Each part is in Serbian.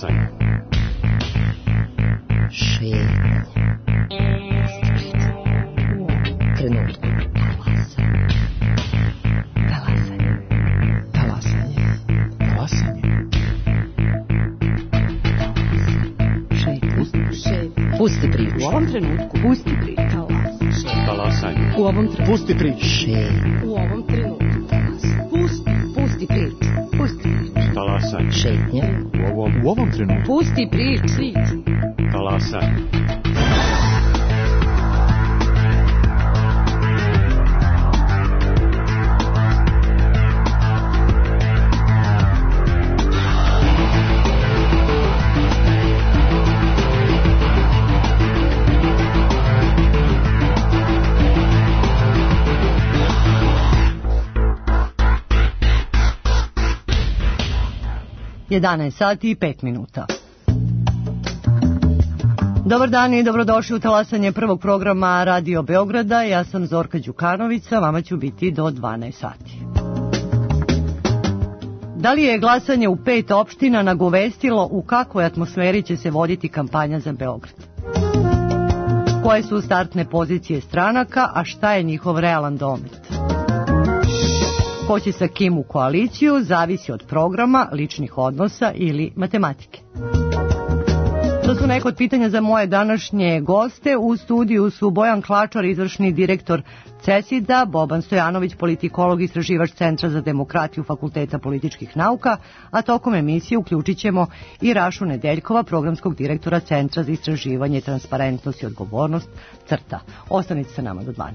Talasanje. Šetnje. Trenutku. Talasanje. Talasanje. Talasanje. Šetnje. Pusti priču. U ovom trenutku. Pusti priču. Talasanje. U ovom trenutku. Pusti priču. Šetnje. U ovom trenutku. Pusti priču. Pusti priču. Talasanje. Šetnje. U ovom trenutku. Pusti priču. Talasanje. Sati i 5 minuta. Dobar dan i dobrodošli u talasanje prvog programa Radio Beograda. Ja sam Zorka Đukanovića, vama ću biti do 12 sati. Da li je glasanje u 5 opština nagovestilo u kakvoj atmosferi će se voditi kampanja za Beograd? Koje su startne pozicije stranaka, a šta je njihov realan domet? Ko će sa kim u koaliciju, zavisi od programa, ličnih odnosa ili matematike. To su neke od pitanja za moje današnje goste. U studiju su Bojan Klačar, izvršni direktor CESID-a, Boban Stojanović, politikolog, istraživač Centra za demokratiju Fakulteta političkih nauka, a tokom emisije uključit ćemo i Rašu Nedeljkova, programskog direktora Centra za istraživanje, transparentnost i odgovornost CRTA. Ostanite sa nama do 12.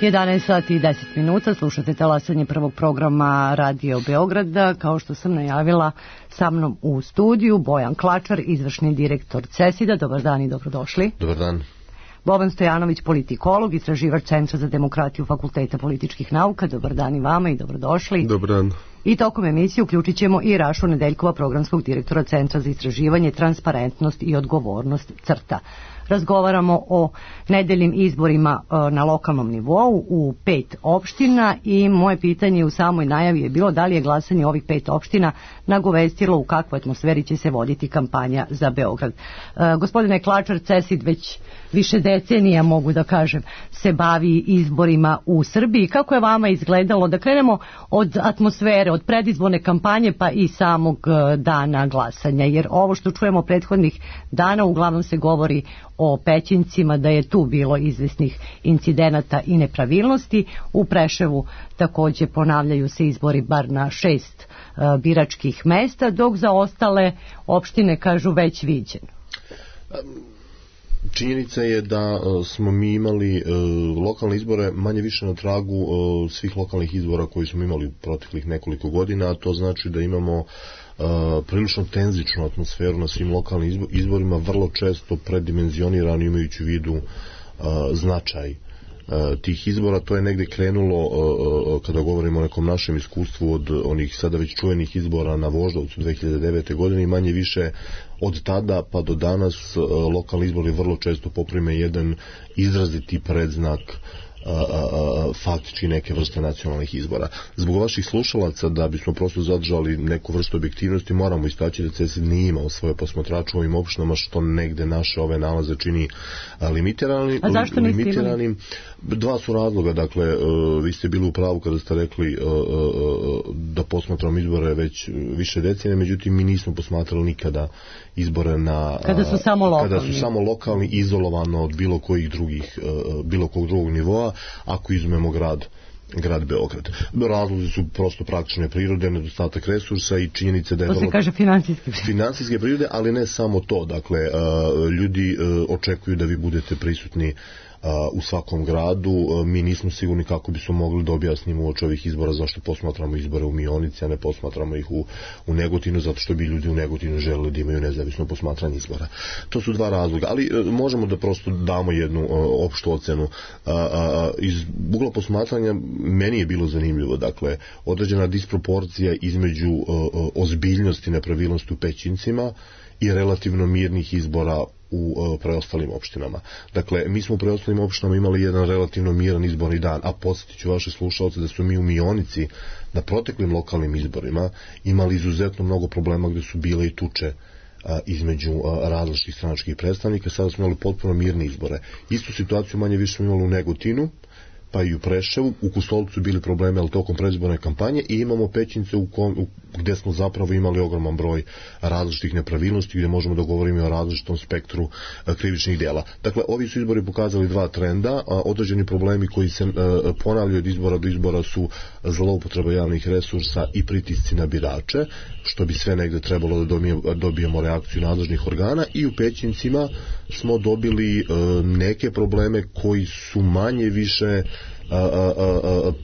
11 sati i 10 minuta, slušate talasanje prvog programa Radio Beograda. Kao što sam najavila, sa mnom u studiju Bojan Klačar, izvršni direktor CESID-a. Dobar dan i dobrodošli. Dobar dan. Boban Stojanović, politikolog, istraživač Centra za demokratiju Fakulteta političkih nauka. Dobar dan i vama i dobrodošli. Dobar dan. I tokom emisije uključit ćemo i Rašu Nedeljkova, programskog direktora Centra za istraživanje, transparentnost i odgovornost CRTA. Razgovaramo o nedeljnim izborima na lokalnom nivou u 5 opština i moje pitanje u samoj najavi je bilo da li je glasanje ovih 5 opština nagovestilo u kakvoj atmosferi će se voditi kampanja za Beograd. Gospodine Klačar, CESID već više decenija, mogu da kažem, se bavi izborima u Srbiji. Kako je vama izgledalo? Da krenemo od atmosfere, od predizborne kampanje pa i samog dana glasanja, jer ovo što čujemo prethodnih dana uglavnom se govori o Pećincima, da je tu bilo izvesnih incidenata i nepravilnosti. U Preševu takođe ponavljaju se izbori bar na 6 biračkih mesta, dok za ostale opštine kažu već viđeno. Činjenica je da smo mi imali lokalne izbore manje više na tragu svih lokalnih izbora koji smo imali u proteklih nekoliko godina, a to znači da imamo prilično tenzičnu atmosferu na svim lokalnim izborima, vrlo često predimenzionirano imajući u vidu značaj tih izbora. To je negde krenulo, kada govorimo o nekom našem iskustvu, od onih sada već čuvenih izbora na Voždovcu 2009. godine i manje više od tada pa do danas lokalni izbori vrlo često poprime jedan izraziti predznak faktički neke vrste nacionalnih izbora. Zbog vaših slušalaca, da bismo prosto zadržali neku vrstu objektivnosti, moramo istaći da CESID nije imao svoje posmatrače u ovim opštinama, što negde naše ove nalaze čini limitiranim. A zašto niste imali? Dva su razloga. Dakle, vi ste bili u pravu kada ste rekli da posmatramo izbore već više decenija, međutim mi nismo posmatrali nikada izbore kada su samo lokalni, izolovano od bilo kojeg drugog nivoa, ako izumemo grad Beograd. Razlozi su prosto praktične prirode, nedostatak resursa i činjenica da je... To se kaže finansijske prirode, ali ne samo to. Dakle, ljudi očekuju da vi budete prisutni u svakom gradu. Mi nismo sigurni kako bismo mogli da objasnimo uoči ovih izbora zašto posmatramo izbore u Mionici, a ne posmatramo ih u Negotinu, zato što bi ljudi u Negotinu želeli da imaju nezavisno posmatranje izbora. To su dva razloga, ali možemo da prosto damo jednu opštu ocenu. Iz ugla posmatranja meni je bilo zanimljivo, dakle, određena disproporcija između ozbiljnosti nepravilnosti u Pećincima i relativno mirnih izbora u preostalim opštinama. Dakle, mi smo u preostalim opštinama imali jedan relativno miran izborni dan, a podsjetit ću vaše slušalce da su mi u Mionici na proteklim lokalnim izborima imali izuzetno mnogo problema gde su bile i tuče između različitih stranačkih predstavnika. Sada smo imali potpuno mirne izbore. Istu situaciju manje više smo imali u Negotinu, pa i u Preševu. U Kostolcu bili probleme, ali tokom predizborne kampanje, i imamo Pećince gde smo zapravo imali ogroman broj različitih nepravilnosti, gde možemo da govorimo o različitom spektru krivičnih dela. Dakle, ovi su izbori pokazali dva trenda. Određeni problemi koji se ponavljaju od izbora do izbora su zloupotreba javnih resursa i pritisci na birače, što bi sve negde trebalo da dobijemo reakciju nadležnih organa, i u Pećincima smo dobili neke probleme koji su manje više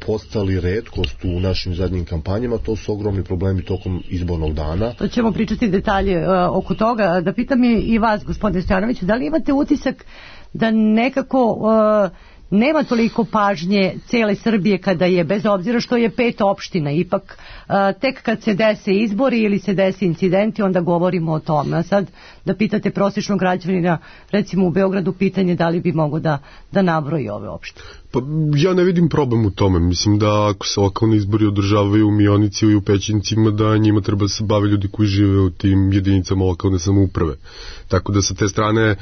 postali retkost u našim zadnjim kampanjama. To su ogromni problemi tokom izbornog dana. To ćemo pričati detalje oko toga. Da pitam i vas, gospodine Stojanoviću, da li imate utisak da nekako nema toliko pažnje cele Srbije kada je, bez obzira što je 5 opština, ipak tek kad se dese izbori ili se dese incidenti, onda govorimo o tome. A sad da pitate prosječnog građanina, recimo u Beogradu, pitanje da li bi mogo da nabroji ove opštine. Pa ja ne vidim problem u tome. Mislim da ako se lokalni izbori održavaju u Mionici i u Pećincima, da njima treba da se bave ljudi koji žive u tim jedinicama lokalne samouprave. Tako da sa te strane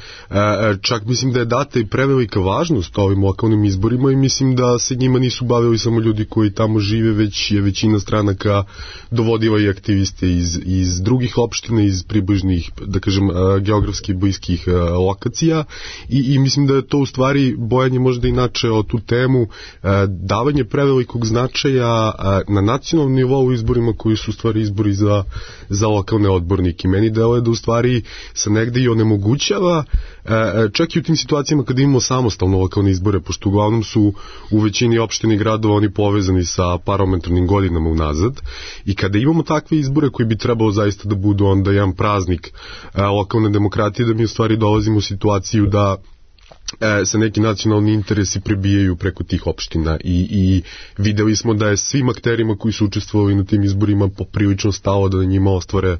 čak mislim da je data i prevelika važnost ovim lokalnim izborima i mislim da se njima nisu bavili samo ljudi koji tamo žive, već je većina stranaka dovodila i aktiviste iz drugih opština, iz približnih, da kažem, geografski bliskih lokacija i mislim da je to u stvari bojanje možda inače o tu temu, davanje prevelikog značaja na nacionalnom nivou u izborima koji su u stvari izbori za lokalne odbornike. Meni deluje da u stvari se negde i onemogućava, čak i u tim situacijama kada imamo samostalno lokalne izbore pošto uglavnom su u većini opštini i gradova oni povezani sa parlamentarnim godinama unazad, i kada imamo takve izbore koji bi trebalo zaista da budu onda jedan praznik lokalne demokratije, da mi u stvari dolazimo u situaciju da se neki nacionalni interesi prebijaju preko tih opština i videli smo da je svim akterima koji su učestvovali na tim izborima poprilično stalo da na njima ostvare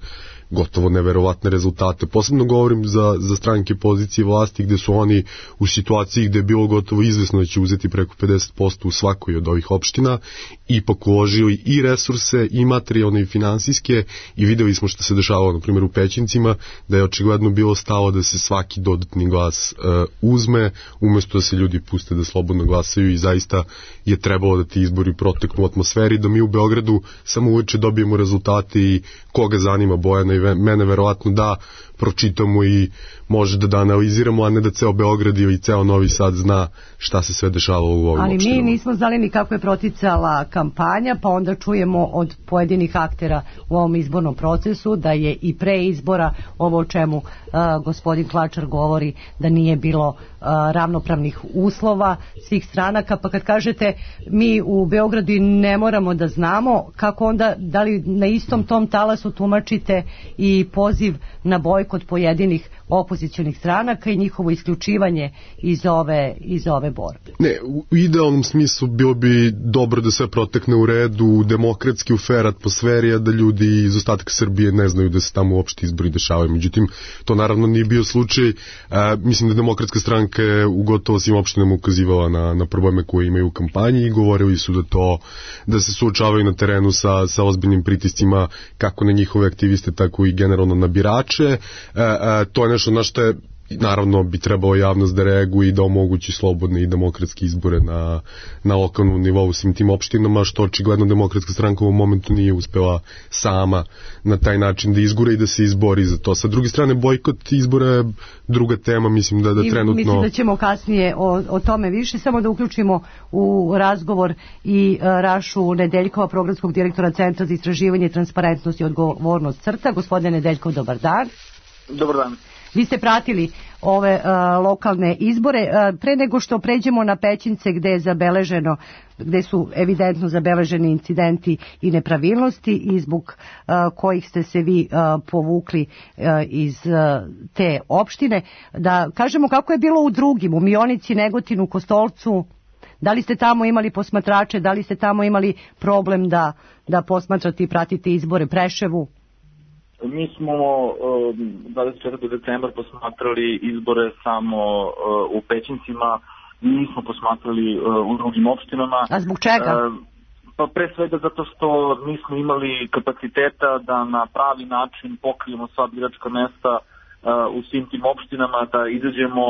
gotovo neverovatne rezultate. Posebno govorim za stranke pozicije vlasti gde su oni u situaciji gde je bilo gotovo izvesno da će uzeti preko 50% u svakoj od ovih opština, ipak uložili i resurse i materijalne i finansijske, i videli smo što se dešavalo na primjer u Pećincima, da je očigledno bilo stalo da se svaki dodatni glas uzme umesto da se ljudi puste da slobodno glasaju, i zaista je trebalo da ti izbori proteknu u atmosferi, da mi u Beogradu samo uveče dobijemo rezultate i koga zanima Bojana i mene verovatno da pročitamo i može da analiziramo, a ne da ceo Beograd ili ceo Novi Sad zna šta se sve dešavalo u ovim opštinama. Ali mi nismo znali ni kako je proticala kampanja, pa onda čujemo od pojedinih aktera u ovom izbornom procesu da je i pre izbora ovo o čemu gospodin Klačar govori, da nije bilo ravnopravnih uslova svih stranaka, pa kad kažete mi u Beogradu ne moramo da znamo, kako onda, da li na istom tom talasu tumačite i poziv na bojkot pojedinih opozicionih stranaka i njihovo isključivanje iz ove borbe? Ne, u idealnom smislu bilo bi dobro da sve protekne u redu, demokratski, u fair atmosferi, a da ljudi iz ostatka Srbije ne znaju da se tamo uopšte izbori dešavaju. Međutim, to naravno nije bio slučaj. Mislim da Demokratska stranka je u gotovo svim opštinama ukazivala na probleme koje imaju u kampanji i govorili su da se suočavaju na terenu sa ozbiljnim pritiscima kako na njihove aktiviste, tako i generalno na birače. To je nešto na što je naravno bi trebalo javnost da reaguje i da omogući slobodne i demokratske izbore na lokalnom nivou svim tim opštinama, što očigledno Demokratska stranka u ovom momentu nije uspela sama na taj način da izgura i da se izbori za to. Sa druge strane, bojkot izbora je druga tema, mislim da trenutno... Mislim da ćemo kasnije o tome više, samo da uključimo u razgovor i Rašu Nedeljkova, programskog direktora Centra za istraživanje, transparentnost i odgovornost CRTA. Gospodine Nedeljkov, dobar dan. Dobar dan. Vi ste pratili ove lokalne izbore. Pre nego što pređemo na Pećince gde su evidentno zabeleženi incidenti i nepravilnosti i zbog kojih ste se vi povukli iz te opštine, da kažemo kako je bilo u drugim, u Mionici, Negotinu, Kostolcu. Da li ste tamo imali posmatrače, da li ste tamo imali problem da posmatrate i pratite izbore, Preševu? Mi smo 24. decembra posmatrali izbore samo u Pećincima, nismo posmatrali u drugim opštinama. A zbog čega? Pa pre svega zato što nismo imali kapaciteta da na pravi način pokrijemo sva biračka mesta u svim tim opštinama, da izađemo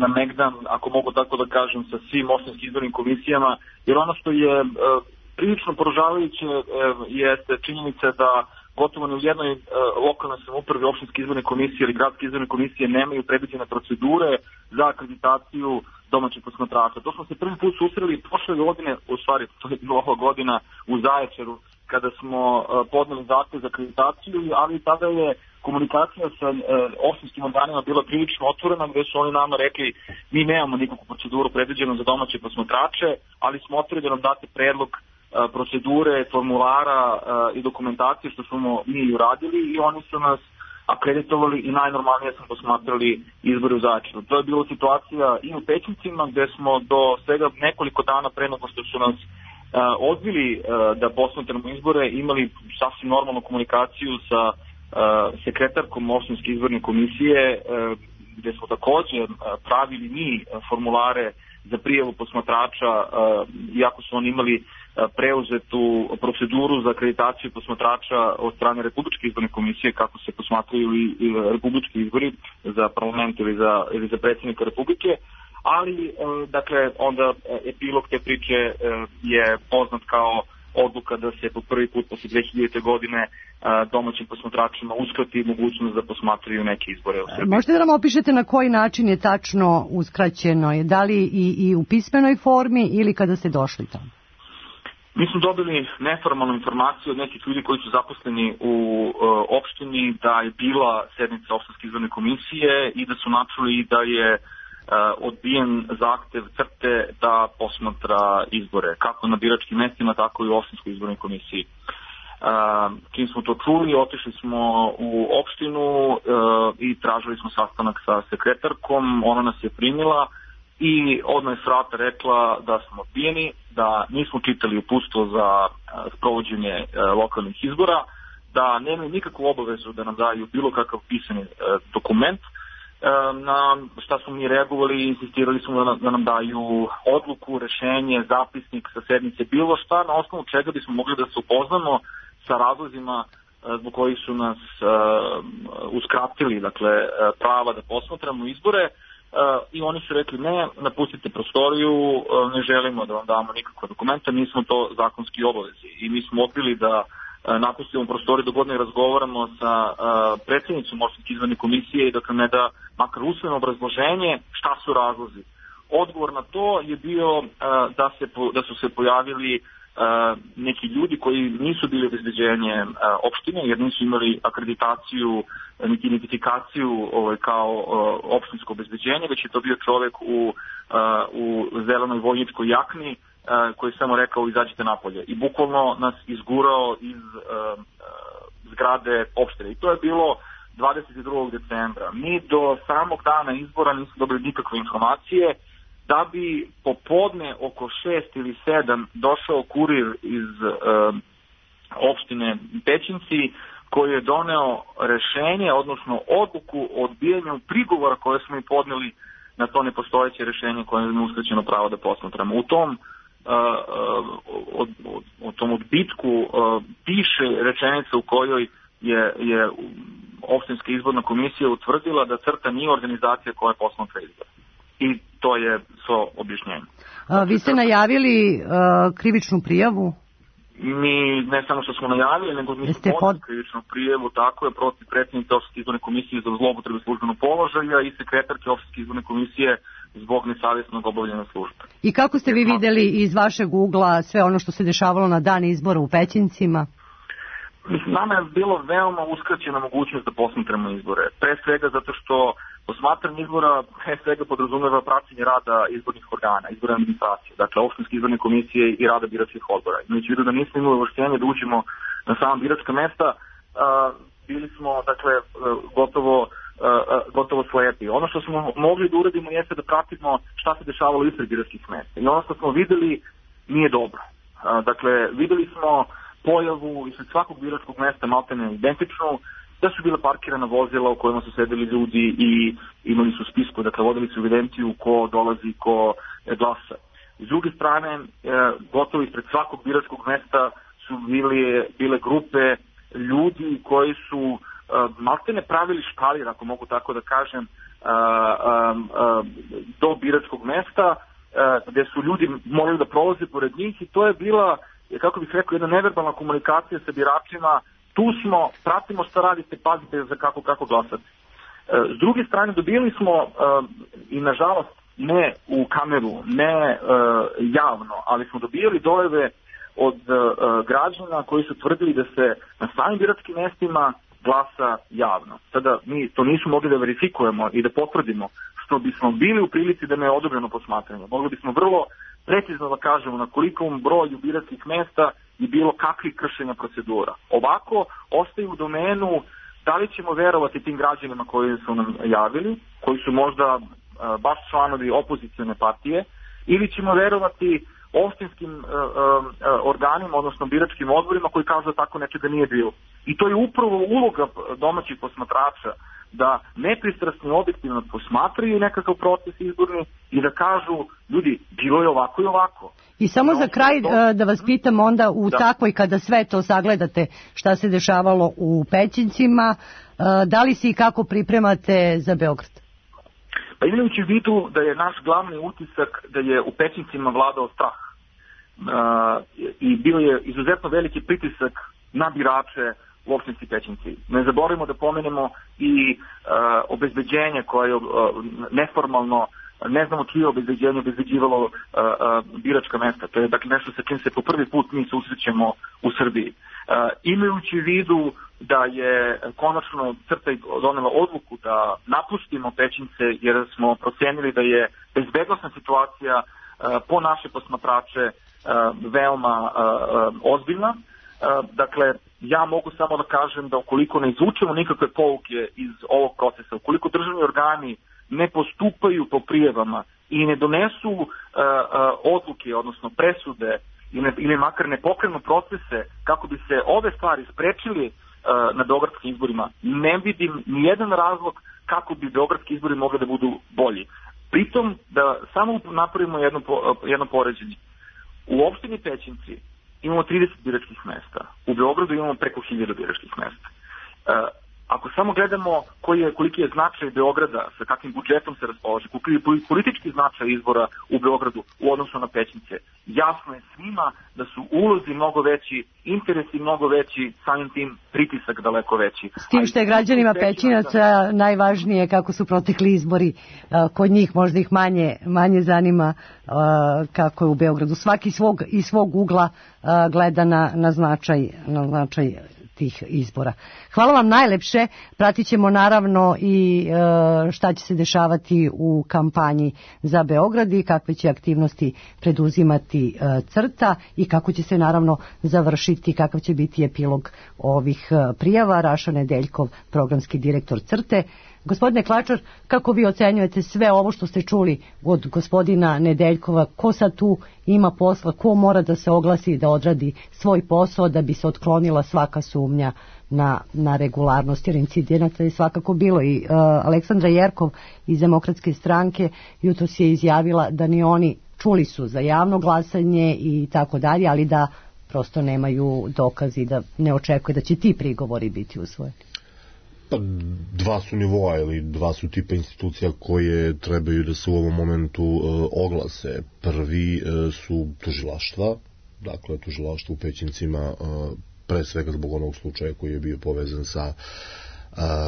na megdan, ako mogu tako da kažem, sa svim opštinskim izbornim komisijama, jer ono što je prilično poražavajuće jeste činjenica da gotovo ni u jednoj lokalnoj samoupravi, opštinske izborne komisije ili gradske izborne komisije nemaju predviđene procedure za akreditaciju domaćih posmatrača. To smo se prvi put susreli prošle godine, u stvari to je bila ova godina u Zaječaru, kada smo podneli zahtev za akreditaciju, ali tada je komunikacija sa opštinskim organima bila prilično otvorena, gde su oni nama rekli mi nemamo nikakvu proceduru predviđenu za domaće posmatrače, ali smo otvorili da nam date predlog procedure, formulara i dokumentacije, što smo mi uradili, i oni su nas akreditovali i najnormalnije smo posmatrali izbore u Zaječaru. To je bila situacija i u Pećincima, gde smo do svega nekoliko dana pre nego što su nas odbili da posmatramo izbore, imali sasvim normalnu komunikaciju sa sekretarkom opštinske izborne komisije, gde smo takođe pravili mi formulare za prijavu posmatrača, iako su oni imali preuzetu proceduru za akreditaciju posmatrača od strane Republičke izborne komisije, kako se posmatraju i republički izbori za parlament ili za predsjednika Republike, ali dakle onda epilog te priče je poznat kao odluka da se po prvi put posle 2000. godine domaćim posmatračima uskrati mogućnost da posmatraju neke izbore u Srbiji. Možete da nam opišete na koji način je tačno uskraćeno? Da li i u pismenoj formi ili kada ste došli tamo? Mi smo dobili neformalnu informaciju od nekih ljudi koji su zaposleni u opštini da je bila sednica opštinske izborne komisije i da su načuli da je odbijen zahtev CRTE da posmatra izbore, kako na biračkim mestima, tako i u opštinskoj izbornoj komisiji. Čim smo to čuli, otišli smo u opštinu i tražili smo sastanak sa sekretarkom, ona nas je primila i odmah je s vrata rekla da smo odbijeni, da nismo čitali uputstvo za sprovođenje lokalnih izbora, da nemaju nikakvu obavezu da nam daju bilo kakav pisani dokument. Na šta smo mi reagovali i insistirali smo da nam daju odluku, rešenje, zapisnik sa sednice, bilo šta na osnovu čega bismo mogli da se upoznamo sa razlozima zbog kojih su nas uskratili, dakle, prava da posmatramo izbore. I oni su rekli ne, napustite prostoriju, ne želimo da vam damo nikakva dokumenta, nismo to zakonski obavezi. I mi smo odbili da napustimo prostoriju dok god ne razgovaramo sa predsjednicom opštinske izborne komisije i dakle ne da makar usvojeno obrazloženje šta su razlozi. Odgovor na to je bio da su se pojavili neki ljudi koji nisu bili obezbeđenje opštine jer nisu imali akreditaciju niti identifikaciju kao opštinsko obezbeđenje, već je to bio čovek u zelenoj vojničkoj jakni koji je samo rekao izađite napolje i bukvalno nas izgurao iz zgrade opštine. I to je bilo 22. decembra. Mi do samog dana izbora nismo dobili nikakve informacije, da bi popodne oko 6 ili 7 došao kurir iz opštine Pećinci koji je doneo rešenje, odnosno odluku o odbijanju prigovora koje smo i podneli na to nepostojeće rešenje koje je uskraćeno pravo da posmatramo. U tom odbitku piše rečenica u kojoj je opštinska izborna komisija utvrdila da CRTA nije organizacija koja posmatra izbore. I to je svo objašnjenje. Vi ste najavili krivičnu prijavu? Mi ne samo što smo najavili, nego mi smo podneli krivičnu prijavu, tako je, protiv predsjednice opštinske izborne komisije za zloupotrebu službenog položaja i sekretarke opštinske izborne komisije zbog nesavjesnog obavljanja službe. I kako ste vi videli iz vašeg ugla sve ono što se dešavalo na dan izbora u Pećincima? Nama je bilo veoma uskraćena mogućnost da posmatramo izbore. Pre svega zato što posmatranje izbora pre svega podrazumeva praćenje rada izbornih organa, izborne administracije, dakle opštinske izborne komisije i rada biračkih odbora. Imajući vidu da nismo imali ovlašćenje da uđemo na sama biračka mesta, bili smo dakle gotovo slepi. Ono što smo mogli da uradimo jeste da pratimo šta se dešavalo ispred biračkih mesta. I ono što smo videli nije dobro. Dakle, videli smo pojavu ispred svakog biračkog mesta maltene identičnu, da su bila parkirana vozila u kojima su sedeli ljudi i imali su spisku, dakle vodili su evidenciju ko dolazi, ko glasa. S druge strane, gotovo ispred svakog biračkog mesta su bile grupe ljudi koji su maltene pravili špalir, ako mogu tako da kažem, do biračkog mesta, gde su ljudi morali da prolaze pored njih i to je bila, kako bih rekao, jedna neverbalna komunikacija sa biračima. Tu smo, pratimo šta radite, pazite za kako glasate. S druge strane, dobili smo, i nažalost ne u kameru, ne javno, ali smo dobijali dojave od građana koji su tvrdili da se na samim biračkim mestima glasa javno. Sada mi to nismo mogli da verifikujemo i da potvrdimo, što bismo bili u prilici da ne je odobreno posmatranje. Mogli bismo vrlo precizno da kažemo na kolikom broju biračkih mesta je bilo kakvih kršenja procedura. Ovako ostaju u domenu da li ćemo verovati tim građanima koji su nam javili, koji su možda baš članovi opozicione partije, ili ćemo verovati opštinskim organima, odnosno biračkim odborima koji kažu da tako nečega nije bilo. I to je upravo uloga domaćih posmatrača, da nepristrasno i objektivno posmatraju nekakav proces izborni i da kažu, ljudi, bilo je ovako i ovako. I samo za kraj da vas pitam onda u takvoj, kada sve to sagledate šta se dešavalo u Pećincima, da li se i kako pripremate za Beograd? Pa imajući u vidu da je naš glavni utisak da je u Pećincima vladao strah i bio je izuzetno veliki pritisak na birače u opštinski Pećinci. Ne zaboravimo da pomenemo i obezbeđenje koje je neformalno, ne znamo čije obezbeđenje obezbeđivalo biračka mesta. To je dakle nešto sa čim se po prvi put mi susrećemo u Srbiji. Imajući u vidu da je konačno CRTA donela odluku da napustimo Pećince jer smo procenili da je bezbednosna situacija po naše posmatrače veoma ozbiljna. Dakle, ja mogu samo da kažem da ukoliko ne izvučemo nikakve pouke iz ovog procesa, ukoliko državni organi ne postupaju po prijavama i ne donesu odluke, odnosno presude ili makar ne pokrenu procese kako bi se ove stvari sprečili na beogradskim izborima, ne vidim nijedan razlog kako bi beogradski izbori mogli da budu bolji. Pritom da samo napravimo jedno poređenje. U opštini Pećinci imamo 30 biračkih mesta. U Beogradu imamo preko 1000 biračkih mesta. Ako samo gledamo koliki je značaj Beograda, sa kakvim budžetom se raspolaže, koliki je politički značaj izbora u Beogradu u odnosu na Pećince, jasno je svima da su ulozi mnogo veći, interesi mnogo veći, samim tim pritisak daleko veći. S tim što je građanima Pećinaca najvažnije kako su protekli izbori kod njih, možda ih manje zanima kako je u Beogradu. Svaki iz svog ugla gleda na značaj tih izbora. Hvala vam najlepše. Pratit ćemo naravno i šta će se dešavati u kampanji za Beograd i kakve će aktivnosti preduzimati CRTA i kako će se naravno završiti, kakav će biti epilog ovih prijava. Raša Nedeljkov, programski direktor CRTE. Gospodine Klačar, kako vi ocenjujete sve ovo što ste čuli od gospodina Nedeljkova? Ko sad tu ima posla, ko mora da se oglasi da odradi svoj posao da bi se otklonila svaka sumnja na regularnost, jer incidenata je svakako bilo. I Aleksandra Jerkov iz Demokratske stranke jutros je izjavila da ni oni čuli su za javno glasanje i tako dalje, ali da prosto nemaju dokazi, da ne očekuje da će ti prigovori biti usvojeni. Pa dva su nivoa ili dva su tipa institucija koje trebaju da se u ovom momentu oglase. Prvi su tužilaštva, dakle tužilaštvo u Pećincima, pre svega zbog onog slučaja koji je bio povezan sa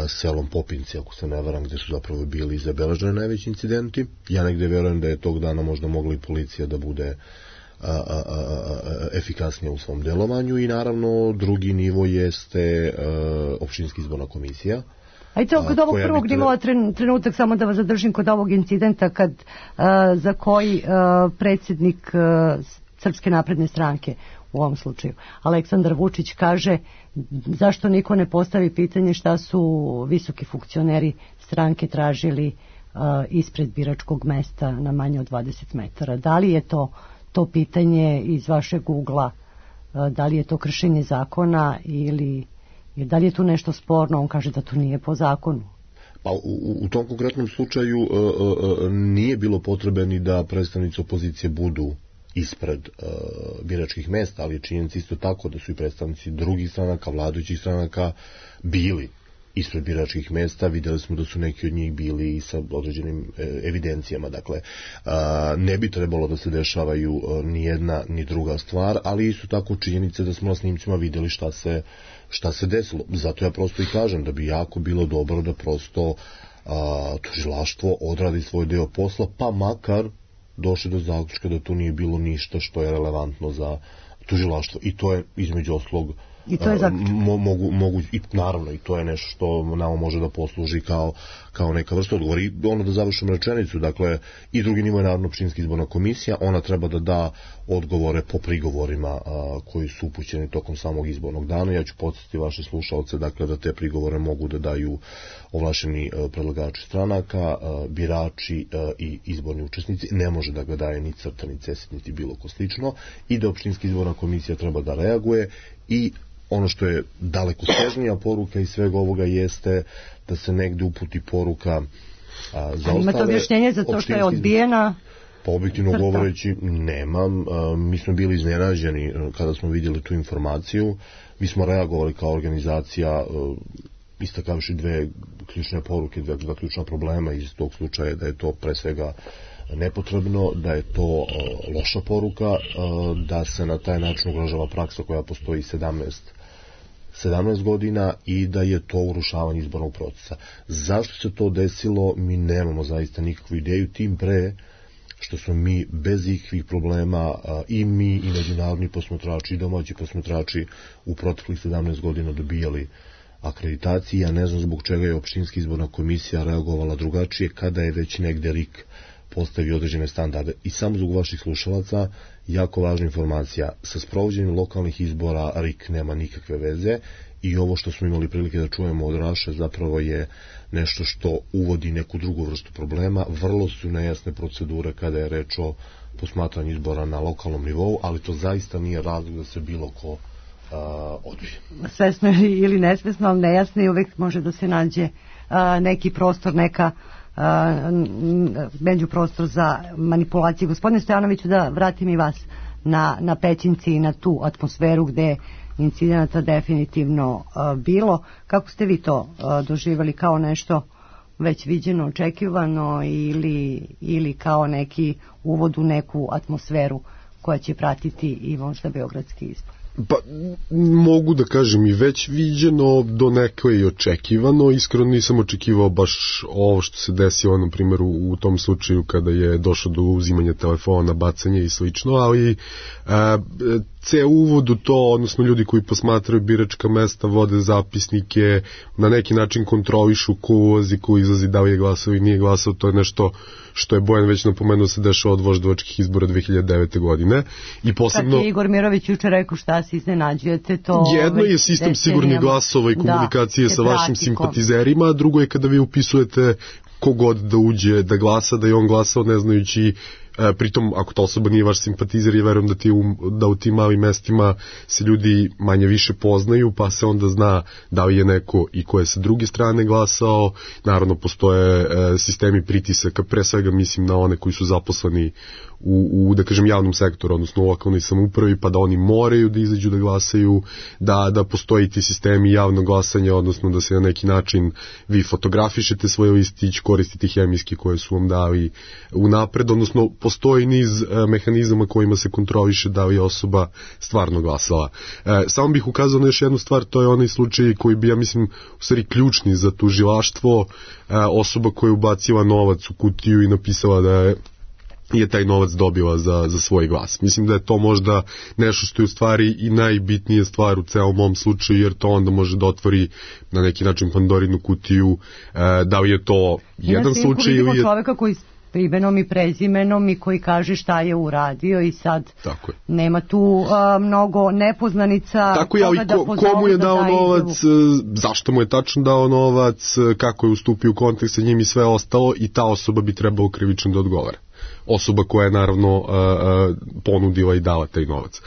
selom Popinci, ako se ne varam, gde su zapravo bili zabeleženi najveći incidenti. Ja negde verujem da je tog dana možda mogla i policija da bude efikasnije u svom delovanju i naravno drugi nivo jeste opštinska izborna komisija. Ajde, kod ovog prvog nivoa trenutak samo da vas zadržim kod ovog incidenta za koji predsjednik Srpske napredne stranke u ovom slučaju Aleksandar Vučić kaže zašto niko ne postavi pitanje šta su visoki funkcioneri stranke tražili ispred biračkog mesta na manje od 20 metara. Da li je to pitanje iz vašeg ugla, da li je to kršenje zakona ili da li je tu nešto sporno? On kaže da to nije po zakonu. Pa u tom konkretnom slučaju nije bilo potrebe ni da predstavnici opozicije budu ispred biračkih mesta, ali je činjenica isto tako da su i predstavnici drugih stranaka, vladajućih stranaka bili ispred biračkih mesta. Videli smo da su neki od njih bili i sa određenim evidencijama. Dakle, ne bi trebalo da se dešavaju ni jedna ni druga stvar, ali isto tako činjenice da smo na snimcima videli šta se desilo. Zato ja prosto i kažem da bi jako bilo dobro da prosto tužilaštvo odradi svoj deo posla, pa makar došli do zaključka da tu nije bilo ništa što je relevantno za tužilaštvo. I to je između oslog i to je mogu i naravno i to je nešto što nama može da posluži kao neka vrsta odgovora. I ono da završim rečenicu, dakle i drugi nivo je naravno opštinska izborna komisija, ona treba da da odgovore po prigovorima koji su upućeni tokom samog izbornog dana. Ja ću podsjetiti vaše slušaoce, dakle da te prigovore mogu da daju ovlašćeni predlagači stranaka, birači i izborni učesnici. Ne može da ga daje ni CRTA, ni CESID, niti bilo ko slično, i da opštinska izborna komisija treba da reaguje. I ono što je daleko sežnija poruka iz svega ovoga jeste da se negde uputi poruka za ostale. Imate objašnjenje za to što je odbijena? Pa objektivno govoreći nemam. Mi smo bili iznenađeni kada smo vidjeli tu informaciju. Mi smo reagovali kao organizacija istakavši dve ključne poruke, dva ključna problema iz tog slučaja, da je to pre svega nepotrebno, da je to loša poruka, da se na taj način ugrožava praksa koja postoji 17 godina i da je to urušavanje izbornog procesa. Zašto se to desilo, mi nemamo zaista nikakvu ideju, tim pre što smo mi bez ikakvih problema i mi i međunarodni posmatrači i domaći posmatrači u proteklih 17 godina dobijali akreditaciji. Ja ne znam zbog čega je opštinska izborna komisija reagovala drugačije kada je već negde RIK postavio određene standarde. I samo zbog vaših slušalaca, jako važna informacija, sa sprovođenjem lokalnih izbora RIK nema nikakve veze i ovo što smo imali prilike da čujemo od Raše zapravo je nešto što uvodi neku drugu vrstu problema. Vrlo su nejasne procedure kada je reč o posmatranju izbora na lokalnom nivou, ali to zaista nije razlog da se bilo ko odbije. Svesno ili nesvesno, ali nejasno i uvek može da se nađe neki prostor, neka međuprostor za manipulaciju. Gospodine Stojanoviću, da vratim i vas na Pećinci i na tu atmosferu gde incidenata definitivno bilo. Kako ste vi to doživjeli, kao nešto već viđeno, očekivano ili kao neki uvod u neku atmosferu koja će pratiti i možda beogradski izbor? Pa, mogu da kažem i već viđeno, do nekoj i očekivano. Iskreno nisam očekivao baš ovo što se desilo, na primjer, u tom slučaju kada je došlo do uzimanja telefona, bacanja i slično, ali ceo uvod u to, odnosno ljudi koji posmatraju biračka mesta, vode zapisnike, na neki način kontrolišu ko ulazi, ko izlazi, da li je glasao i nije glasao, to je nešto što je Bojan već napomenuo se dešava od voždovačkih izbora 2009. godine. I posebno, kad je Igor Mirović juče rekao šta se iznenađujete, to jedno je sistem sigurnih glasova i komunikacije sa vašim simpatizerima, a drugo je kada vi upisujete kogod da uđe da glasa, da je on glasao ne znajući, pritom ako ta osoba nije vaš simpatizer, ja verujem da u tim malim mestima se ljudi manje više poznaju, pa se onda zna da li je neko i ko je sa druge strane glasao. Naravno postoje sistemi pritisaka, pre svega mislim na one koji su zaposleni u da kažem javnom sektoru, odnosno u lokalnoj samoupravi, pa da oni moraju da izađu da glasaju, da postoji ti sistemi javnog glasanja, odnosno da se na neki način vi fotografišete svoj listić, koristite hemijski koje su vam dali unapred, odnosno postoji niz mehanizama kojima se kontroliše da li je osoba stvarno glasala. Samo bih ukazao na još jednu stvar, to je onaj slučaj koji bi, ja mislim, u stvari ključni za tužilaštvo, osoba koja je ubacila novac u kutiju i napisala da je taj novac dobila za svoj glas. Mislim da je to možda nešto što je u stvari i najbitnija stvar u celom ovom slučaju, jer to onda može da otvori na neki način Pandorinu kutiju, da li je to jedan slučaj ili je čoveka koji imenom i prezimenom i koji kaže šta je uradio i sad nema tu mnogo nepoznanica. Tako je, ali komu je dao novac, zašto mu je tačno dao novac, kako je ustupio u kontekst sa njim i sve ostalo, i ta osoba bi trebalo krivično da odgovara. Osoba koja je naravno ponudila i dala taj novac.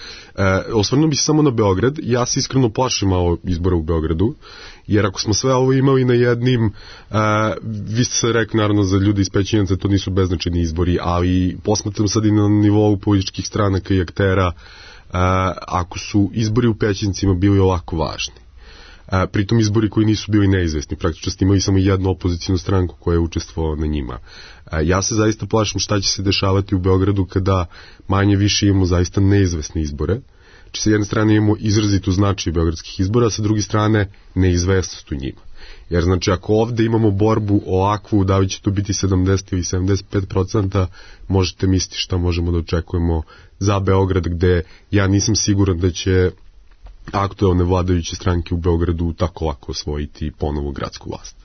Osvrnuo bih se samo na Beograd. Ja se iskreno plašim malo izbora u Beogradu, jer ako smo sve ovo imali na jednim, vi ste se rekli naravno za ljudi iz Pećinaca, to nisu beznačajni izbori, ali posmatram sad i na nivou političkih stranaka i aktera, ako su izbori u Pećincima bili ovako važni, pritom izbori koji nisu bili neizvesni, praktično ste imali samo jednu opozicijnu stranku koja je učestvovala na njima. Ja se zaista plašim šta će se dešavati u Beogradu kada manje više imamo zaista neizvesne izbore. Znači, sa jedne strane imamo izrazitu značaj beogradskih izbora, a sa druge strane neizvesnost u njima. Jer znači ako ovde imamo borbu ovakvu, da li će to biti 70 ili 75%, možete misliti šta možemo da očekujemo za Beograd, gde ja nisam siguran da će aktuelne vladajuće stranke u Beogradu tako lako osvojiti ponovo gradsku vlast.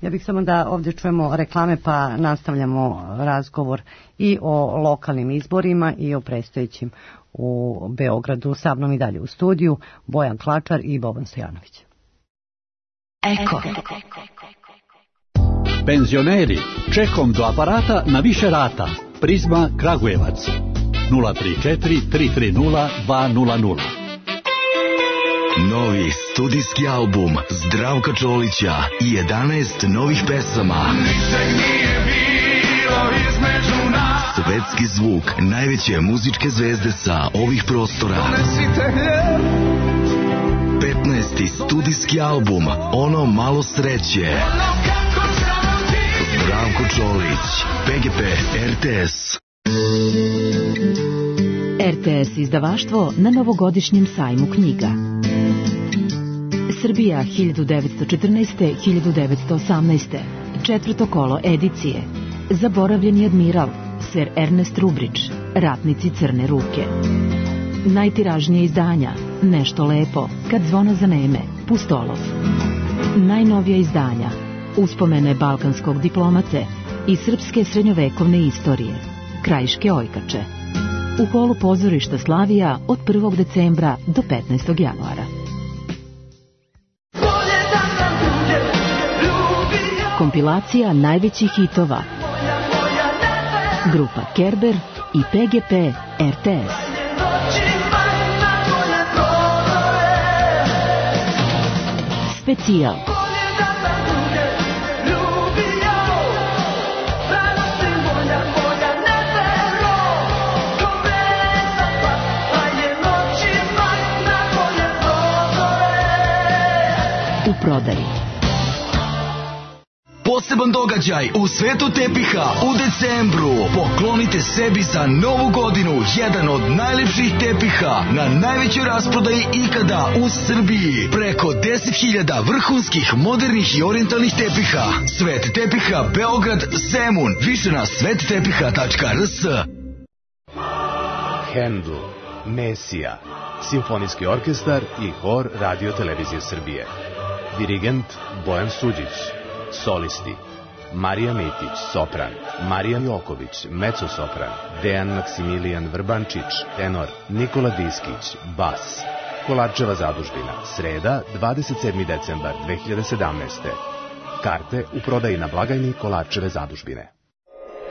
Ja bih samo da ovdje čujemo reklame pa nastavljamo razgovor i o lokalnim izborima i o predstojećim u Beogradu. Sa mnom i dalje u studiju Bojan Klačar i Boban Stojanović. Eko. Penzioneri, čekom do aparata na više rata. Prizma Kragujevac 034 330 200. Novi studijski album Zdravka Čolića i 11 novih pesama. Svetski zvuk najveće muzičke zvezde sa ovih prostora. 15. studijski album Ono malo sreće. Zdravko Čolić, PGP RTS. RTS izdavaštvo na novogodišnjem sajmu knjiga. Srbija 1914-1918. Četvrto kolo edicije. Zaboravljeni admiral. Oficer Ernest Rubrić, Ratnici crne ruke. Najtiražnije izdanja, Nešto lepo, Kad zvono zaneme, Pustolov. Najnovija izdanja, Uspomene balkanskog diplomate i srpske srednjovekovne istorije, Krajiške ojkače. U holu pozorišta Slavija od 1. decembra do 15. januara. Kompilacija najvećih hitova. Grupa Kerber i PGP RTS. Specijal. U prodaji. Poseban događaj u svetu tepiha u decembru. Poklonite sebi za novu godinu jedan od najlepših tepiha na najvećoj rasprodaji ikada u Srbiji. Preko 10.000 vrhunskih, modernih i orijentalnih tepiha. Svet tepiha Beograd, Zemun. Više na svettepiha.rs. Handel, Mesija, simfonijski orkestar i hor Radio Televizije Srbije. Dirigent Bojan Suđić. Solisti: Marija Mitić, sopran; Marija Joković, mezzo-sopran; Dejan Maksimilijan Vrbančić, tenor; Nikola Diskić, bas. Kolarčeva zadužbina, sreda, 27. decembar 2017. Karte u prodaji na blagajni Kolarčeve zadužbine.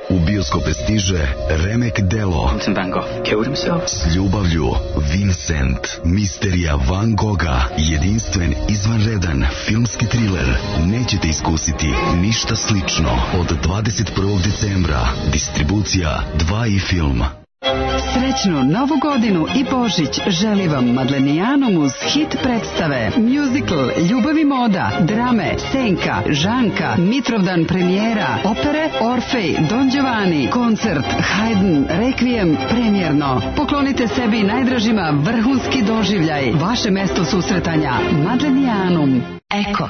U bioskope stiže remek delo S ljubavlju, Vincent, misterija Van Gogha, jedinstven, izvanredan filmski triler. Nećete iskusiti ništa slično. Od 21. decembra distribucija 2i film. Srećnu Novu godinu i Božić želi vam Madlenijanum uz hit predstave, musical, Ljubav i moda, drame, Senka, Žanka, Mitrovdan premijera, opere Orfej, Don Giovanni, koncert, Haydn, Requiem, premijerno. Poklonite sebi i najdražima vrhunski doživljaj. Vaše mesto susretanja, Madlenijanum. Eko.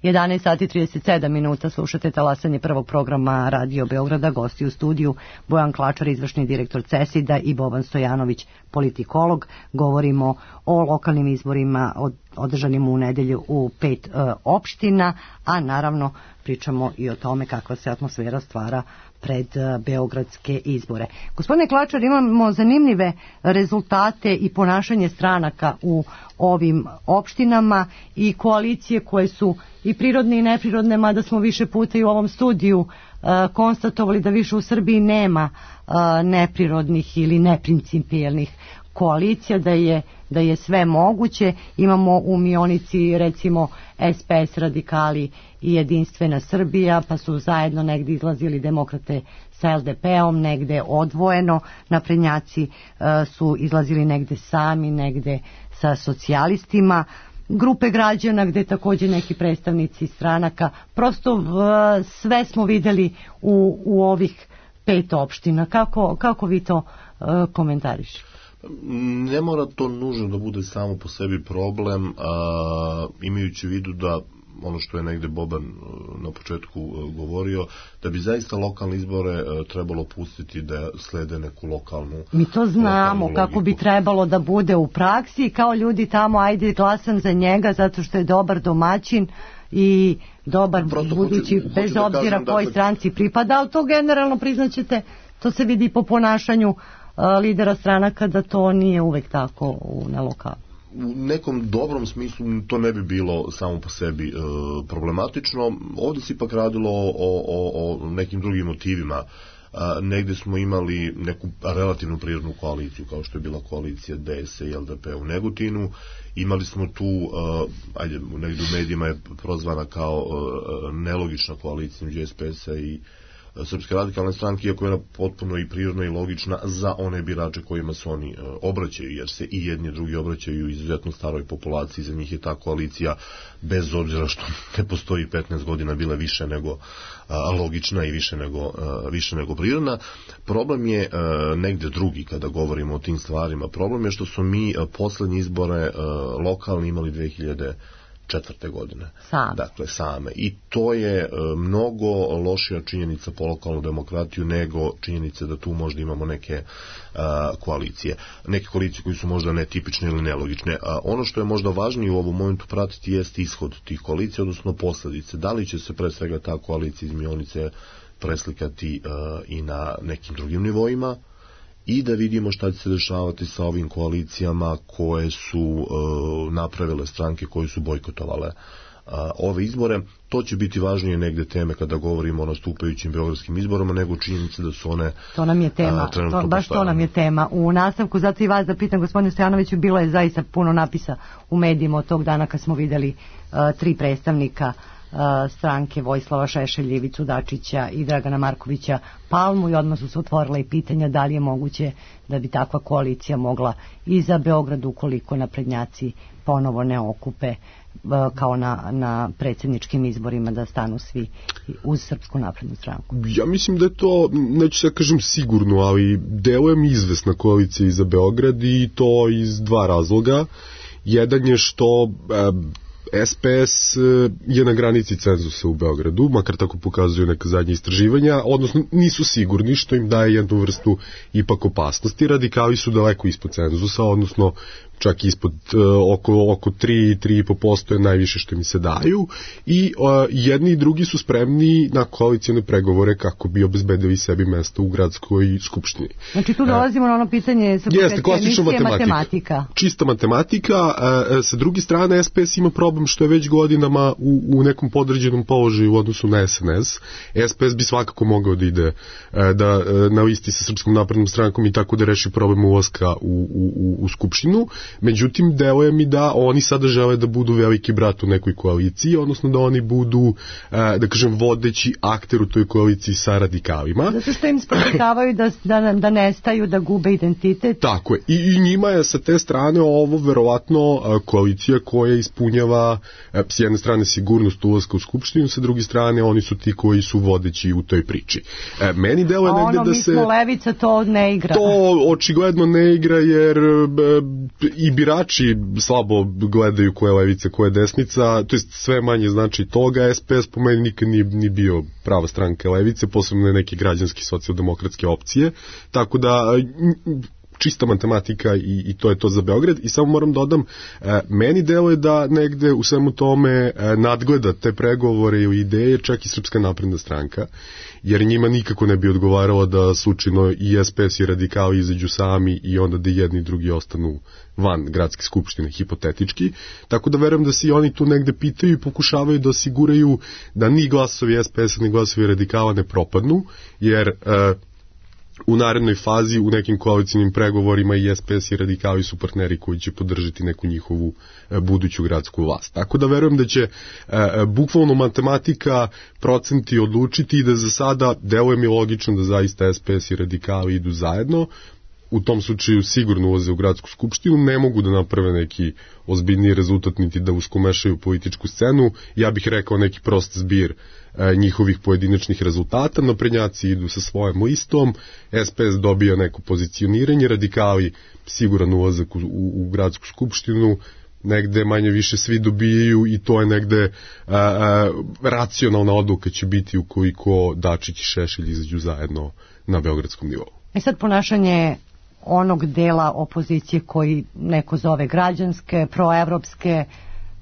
11 sati 37 minuta, slušate talasanje prvog programa Radio Beograda. Gosti u studiju Bojan Klačar, izvršni direktor CESID-a, i Boban Stojanović, politikolog. Govorimo o lokalnim izborima održanim u nedelju u 5 opština, a naravno pričamo i o tome kakva se atmosfera stvara pred beogradske izbore. Gospodine Klačar, imamo zanimljive rezultate i ponašanje stranaka u ovim opštinama i koalicije koje su i prirodne i neprirodne, mada smo više puta i u ovom studiju konstatovali da više u Srbiji nema neprirodnih ili neprincipijelnih koalicija, da je sve moguće. Imamo u Mionici recimo SPS, Radikali i Jedinstvena Srbija, pa su zajedno negdje izlazili demokrate sa LDP-om, negde odvojeno. Naprednjaci su izlazili negde sami, negde sa socijalistima. Grupe građana gde također neki predstavnici stranaka. Prosto sve smo videli u ovih 5 opština. Kako vi to komentarišete? Ne mora to nužno da bude samo po sebi problem, imajući u vidu da ono što je negde Boban na početku govorio, da bi zaista lokalne izbore trebalo pustiti da slede neku lokalnu. Mi to znamo kako bi trebalo da bude u praksi, kao ljudi tamo, ajde glasam za njega zato što je dobar domaćin i dobar budući, bez obzira kojoj stranci pripada, ali to generalno priznaćete, to se vidi po ponašanju lidera stranaka da to nije uvek tako na lokalu. U nekom dobrom smislu to ne bi bilo samo po sebi problematično. Ovdje se ipak radilo o nekim drugim motivima. Negdje smo imali neku relativnu prirodnu koaliciju, kao što je bila koalicija DS i LDP u Negotinu. Imali smo tu, negdje u medijima je prozvana kao nelogična koalicija između SPS-a i Srpske radikalne stranke, iako je ona potpuno i prirodna i logična za one birače kojima se oni obraćaju, jer se i jedni i drugi obraćaju izuzetno staroj populaciji. Za njih je ta koalicija, bez obzira što ne postoji 15 godina, bila više nego logična i više nego prirodna. Problem je negde drugi kada govorimo o tim stvarima. Problem je što su mi poslednje izbore lokalni imali 2004. godine. Same. Same. I to je mnogo lošija činjenica po lokalnu demokratiju nego činjenica da tu možda imamo neke koalicije. Neke koalicije koji su možda netipične ili nelogične. Ono što je možda važnije u ovom momentu pratiti jest ishod tih koalicija, odnosno posledice. Da li će se pre svega ta koalicija iz Mionice preslikati i na nekim drugim nivoima, i da vidimo šta će se dešavati sa ovim koalicijama koje su napravile stranke koje su bojkotovale ove izbore. To će biti važnije negde teme kada govorimo o nastupajućim beogradskim izborima nego činjenice da su one to nam je tema, to nam je tema. U nastavku, zato i vas da pitam, gospodine Stojanoviću, bilo je zaista puno napisa u medijima od tog dana kad smo vidjeli 3 predstavnika stranke Vojislava Šešelja, Ivicu Dačića i Dragana Markovića Palmu, i odmah su se otvorila i pitanja da li je moguće da bi takva koalicija mogla i za Beograd, ukoliko naprednjaci ponovo ne okupe kao na predsjedničkim izborima, da stanu svi uz Srpsku naprednu stranku. Ja mislim da je to, neću se kažem sigurno, ali deluje mi izvesna koalicija i za Beograd, i to iz 2 razloga. Jedan je što SPS je na granici cenzusa u Beogradu, makar tako pokazuju neka zadnja istraživanja, odnosno nisu sigurni, što im daje jednu vrstu ipak opasnosti. Radikali su daleko ispod cenzusa, odnosno čak ispod oko 3,5% je najviše što mi se daju, i jedni i drugi su spremni na koalicijne pregovore kako bi obezbedili sebi mesto u gradskoj skupštini. Znači tu dolazimo na ono pitanje sa klasična matematika. Čista matematika. Sa druge strane, SPS ima problem što je već godinama u nekom podređenom položaju u odnosu na SNS. SPS bi svakako mogao da ide na listi sa Srpskom naprednom strankom i tako da reši problem ulaska u skupštinu. Međutim, deluje mi da oni sada žele da budu veliki brat u nekoj koaliciji, odnosno da oni budu, da kažem, vodeći akter u toj koaliciji sa radikalima. Zato što im spočitavaju da nestaju, da gube identitet. Tako je. I njima je sa te strane ovo verovatno koalicija koja ispunjava s jedne strane sigurnost ulaska u skupštinu, sa druge strane oni su ti koji su vodeći u toj priči. Meni deluje negde da se... mi smo levica, to ne igra. To očigledno ne igra, jer i birači slabo gledaju koja je levica, koja je desnica, to jest sve manje znači toga. SPS po meni nikad nije bio prava stranka levice, posebno neke građanske socijaldemokratske opcije, tako da čista matematika i to je to za Beograd. I samo moram dodam, meni deluje da negde u svemu tome nadgleda te pregovore i ideje čak i Srpska napredna stranka, jer njima nikako ne bi odgovaralo da slučajno i SPS i radikali izađu sami i onda da jedni i drugi ostanu van gradske skupštine, hipotetički. Tako da verujem da se i oni tu negde pitaju i pokušavaju da osiguraju da ni glasovi SPS-a ni glasovi radikala ne propadnu, jer u narednoj fazi u nekim koalicijnim pregovorima i SPS i radikali su partneri koji će podržati neku njihovu buduću gradsku vlast. Tako da verujem da će bukvalno matematika, procenti odlučiti i da za sada deluje mi logično da zaista SPS i radikali idu zajedno. U tom slučaju sigurno ulaze u gradsku skupštinu, ne mogu da naprave neki ozbiljniji rezultat niti da uskomešaju političku scenu. Ja bih rekao neki prost zbir njihovih pojedinačnih rezultata. Naprednjaci idu sa svojom listom, SPS dobija neko pozicioniranje, radikali siguran ulazak u gradsku skupštinu, negde manje više svi dobijaju i to je negde racionalna odluka će biti ukoliko Dačić i Šešelj izađu zajedno na beogradskom nivou. Sad ponašanje onog dela opozicije koji neko zove građanske, proevropske,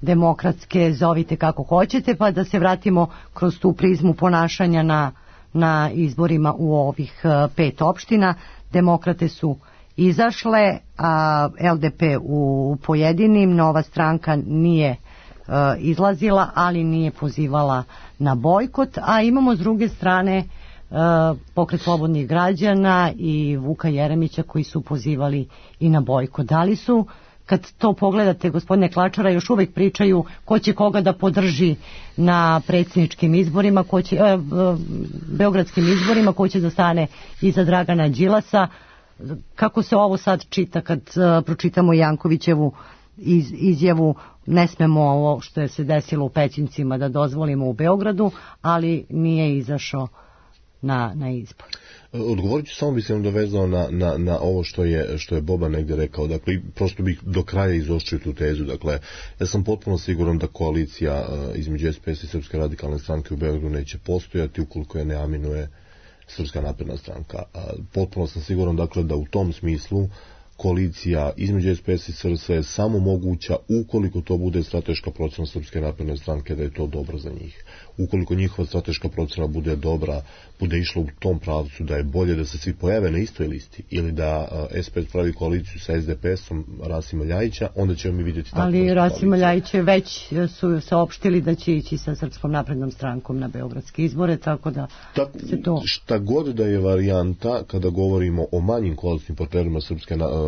demokratske, zovite kako hoćete, pa da se vratimo kroz tu prizmu ponašanja na izborima u ovih 5 opština. Demokrate su izašle, a LDP u pojedinim, Nova stranka nije izlazila, ali nije pozivala na bojkot, a imamo s druge strane Pokret slobodnih građana i Vuka Jeremića koji su pozivali i na bojkot. Da li su, kad to pogledate, gospodine Klačara, još uvijek pričaju ko će koga da podrži na predsjedničkim izborima, beogradskim izborima, ko će da stane iza Dragana Đilasa? Kako se ovo sad čita kad pročitamo Jankovićevu izjavu, ne smemo ovo što je se desilo u Pećincima da dozvolimo u Beogradu, ali nije izašao na izbor? Odgovorit ću, samo bi se dovezao na ovo što je Boba negde rekao, dakle, prosto bih do kraja izoštrio tu tezu, dakle, ja sam potpuno siguran da koalicija između SPS i Srpske radikalne stranke u Beogradu neće postojati ukoliko je ne aminuje Srpska napredna stranka. Potpuno sam siguran, dakle, da u tom smislu koalicija između SPS i SRS je samo moguća ukoliko to bude strateška procena Srpske napredne stranke, da je to dobro za njih. Ukoliko njihova strateška procena bude dobra, bude išla u tom pravcu da je bolje da se svi pojave na istoj listi ili da SPS pravi koaliciju sa SDP-om Rasima Ljajića, onda ćemo mi vidjeti tako. Ali Rasima Ljajić već su saopštili da će ići sa Srpskom naprednom strankom na beogradske izbore, tako da se to... Šta god da je varijanta, kada govorimo o manjim koalicijnim partnerima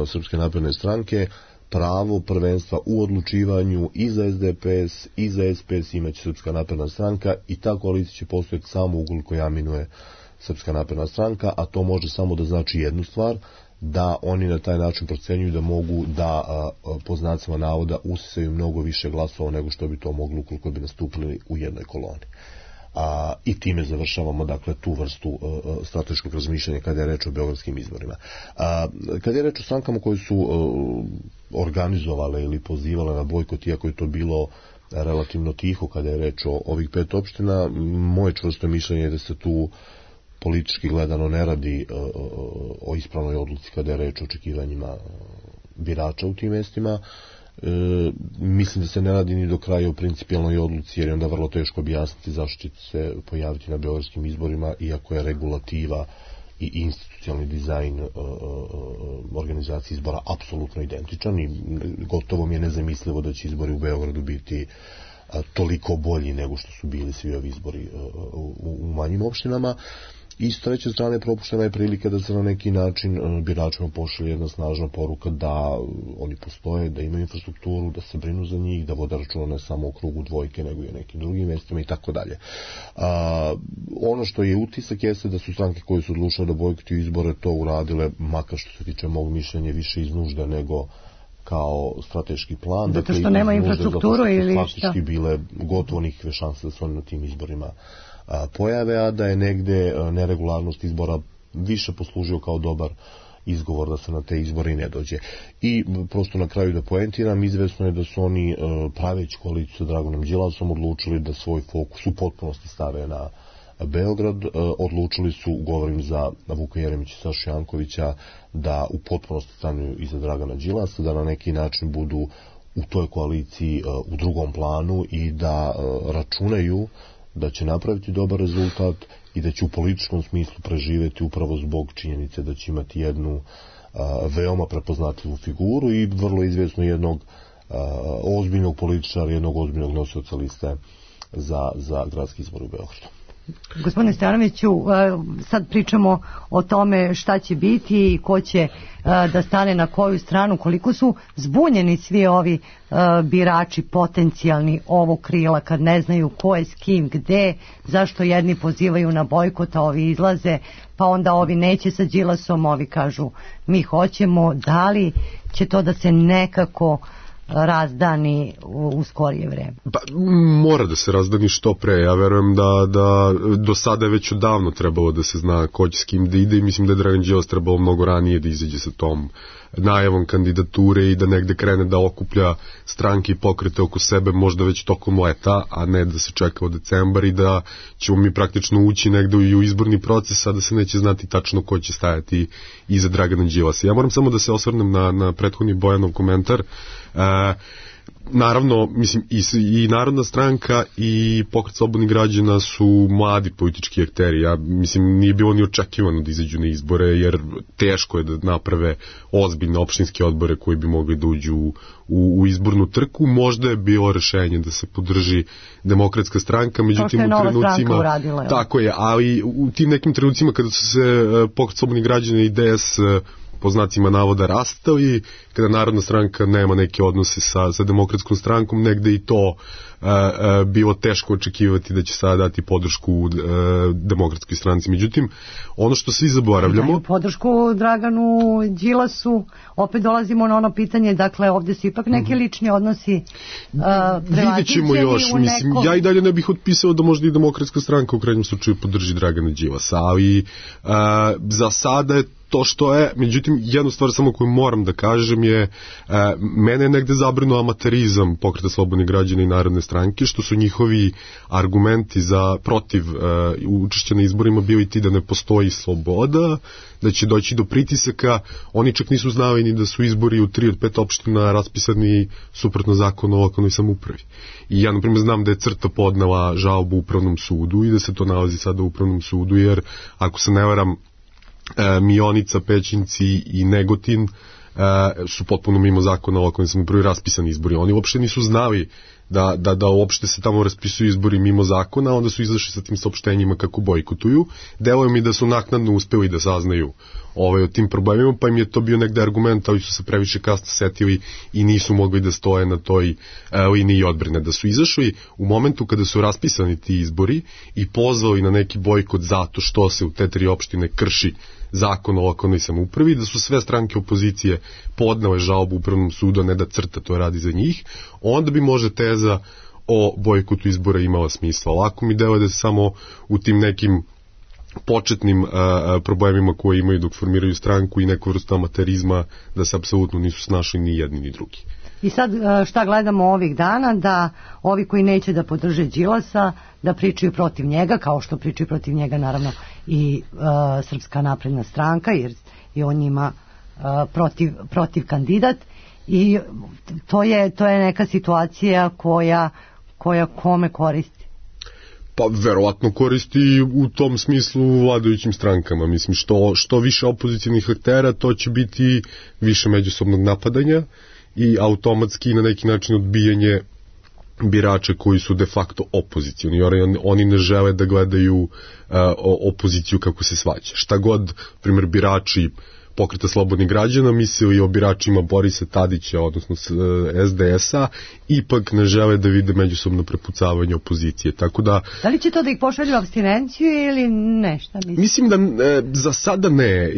Srpske napredne stranke, pravo prvenstva u odlučivanju i za SDPS i za SPS imaće Srpska napredna stranka i ta koalicija će postojati samo ukoliko je aminuje Srpska napredna stranka, a to može samo da znači jednu stvar, da oni na taj način procenjuju da mogu da po znacima navoda usisaju mnogo više glasova nego što bi to moglo ukoliko bi nastupili u jednoj koloni. I time završavamo, dakle, tu vrstu strateškog razmišljanja kada je reč o beogradskim izborima. Kada je reč o strankama koje su organizovale ili pozivale na bojkot, iako je to bilo relativno tiho kada je reč o ovih 5 opština, moje čvrsto mišljenje je da se tu politički gledano ne radi o ispravnoj odluci kada je reč o očekivanjima birača u tim mestima. Mislim da se ne radi ni do kraja u principijalnoj odluci, jer je onda vrlo teško objasniti zašto će se pojaviti na beogradskim izborima, iako je regulativa i institucionalni dizajn organizacije izbora apsolutno identičan i gotovo mi je nezamislivo da će izbori u Beogradu biti toliko bolji nego što su bili svi ovi izbori u manjim opštinama. I s treće strane propuštena je prilika da se na neki način biračima pošalje jedna snažna poruka da oni postoje, da imaju infrastrukturu, da se brinu za njih, da vode računa ne samo o krugu dvojke nego i o nekim drugim mestima i tako dalje. Ono što je utisak jeste da su stranke koje su odlučile da bojkotuju izbore to uradile, makar što se tiče mog mišljenja, više iz nužde nego kao strateški plan. Zato što nema infrastrukturu ili šta? Faktički bile gotovo nikakve šanse da se oni na tim izborima pojave, a da je negde neregularnost izbora više poslužio kao dobar izgovor da se na te izbore i ne dođe. I prosto na kraju da poentiram, izvesno je da su oni praveći koaliciju sa Draganom Đilasom odlučili da svoj fokus u potpunosti stave na Beograd. Odlučili su, govorim za Vuka Jeremića i Sašu Jankovića, da u potpunosti stanu iza Dragana Đilasa, da na neki način budu u toj koaliciji u drugom planu i da računaju da će napraviti dobar rezultat i da će u političkom smislu preživeti upravo zbog činjenice da će imati jednu veoma prepoznatljivu figuru i vrlo izvjesno jednog ozbiljnog političara, jednog ozbiljnog nosioca liste za gradski izbor u Beogradu. Gospodine Stojanoviću, sad pričamo o tome šta će biti i ko će da stane na koju stranu, koliko su zbunjeni svi ovi birači potencijalni ovog krila kad ne znaju ko je s kim, gde, zašto jedni pozivaju na bojkot, a ovi izlaze, pa onda ovi neće sa Đilasom, ovi kažu mi hoćemo, da li će to da se nekako razdani u skorije vreme? Pa, mora da se razdani što pre. Ja verujem da do sada je već odavno trebalo da se zna ko će s kim da ide i mislim da je Dragan Đilas trebalo mnogo ranije da izađe sa tom najavom kandidature i da negde krene da okuplja stranke i pokrete oko sebe možda već tokom leta, a ne da se čeka od decembar i da ćemo mi praktično ući negde i u izborni proces, a da se neće znati tačno ko će stajati iza Dragana Đilasa. Ja moram samo da se osvrnem na prethodni Bojanov komentar. Naravno, mislim, i Narodna stranka i Pokret slobodnih građana su mladi politički akteri. Ja mislim, nije bilo ni očekivano da izađu na izbore, jer teško je da naprave ozbiljne opštinske odbore koji bi mogli da uđu u izbornu trku. Možda je bilo rešenje da se podrži Demokratska stranka, međutim u trenucima uradila, tako je, ali u tim nekim trenucima kada su se Pokret slobodnih građana i DS po znacima navoda rastali, kada Narodna stranka nema neke odnose sa Demokratskom strankom, negde i to bilo teško očekivati da će sada dati podršku Demokratskoj stranci. Međutim, ono što svi zaboravljamo... Daju podršku Draganu Đilasu, opet dolazimo na ono pitanje, dakle ovdje su ipak neki lični odnosi vidjet ćemo još, mislim, ja i dalje ne bih otpisao da možda i Demokratska stranka u krajnjem slučaju podrži Dragana Đilasa, ali za sada je to što je. Međutim, jednu stvar samo koju moram da kažem je, mene je negde zabrinuo amaterizam Pokreta slobodnih građana i Narodne stranke, što su njihovi argumenti protiv učešća na izborima bili ti da ne postoji sloboda, da će doći do pritisaka. Oni čak nisu znali ni da su izbori u 3 od 5 opština raspisani suprotno zakonu o lokalnoj samoupravi. I ja, na primjer, znam da je CRTA podnela žalbu Upravnom sudu i da se to nalazi sada u Upravnom sudu, jer, ako se ne varam, Mionica, Pećinci i Negotin su potpuno mimo zakona o lokalnoj samoupravi raspisani izbori. Oni uopšte nisu znali da uopšte se tamo raspisuju izbori mimo zakona, onda su izašli sa tim saopštenjima kako bojkotuju. Deluje mi da su naknadno uspeli da saznaju o tim problemima, pa im je to bio negde argument, ali su se previše kasno setili i nisu mogli da stoje na toj liniji odbrane. Da su izašli u momentu kada su raspisani ti izbori i pozvali na neki bojkot zato što se u te 3 opštine krši zakon o lokalnoj samoupravi, da su sve stranke opozicije podnele žalbu Upravnom sudu, a ne da CRTA to radi za njih, onda bi možda teza o bojkotu izbora imala smisla. Lako mi deluje da se samo u tim nekim početnim problemima koje imaju dok formiraju stranku i neku vrstu amaterizma, da se apsolutno nisu snašli ni jedni ni drugi. I sad šta gledamo ovih dana, da ovi koji neće da podrže Đilasa, da pričaju protiv njega, kao što pričaju protiv njega naravno i Srpska napredna stranka, jer je on njima protiv kandidat, i to je neka situacija koja kome koristi. Pa verovatno koristi u tom smislu vladajućim strankama. Mislim, što više opozicijnih aktera, to će biti više međusobnog napadanja i automatski na neki način odbijanje birača koji su de facto opozicijni. Oni ne žele da gledaju opoziciju kako se svađa. Šta god, primjer, birači Pokreta slobodnih građana mislili o biračima Borisa Tadića, odnosno SDS-a, ipak ne žele da vide međusobno prepucavanje opozicije. Tako da li će to da ih pošalju u apstinenciju ili ne? Šta mislim da za sada ne.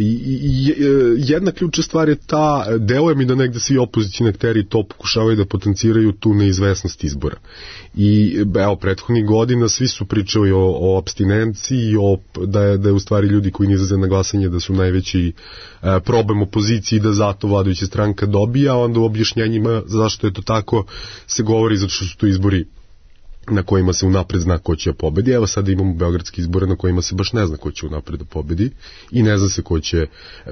Jedna ključna stvar je ta, deluje mi da negde svi opozicijni akteri to pokušavaju da potenciraju tu neizvesnost izbora. I evo, prethodnih godina svi su pričali o apstinenciji, da je u stvari ljudi koji ne izlaze na glasanje da su najveći problem opoziciji, da zato vladajuća stranka dobija, a onda u objašnjenjima zašto je to tako se govori zato što su to izbori na kojima se unapred zna ko će pobedi. Evo sada imamo beogradske izbore na kojima se baš ne zna ko će unapred da pobedi i ne zna se ko će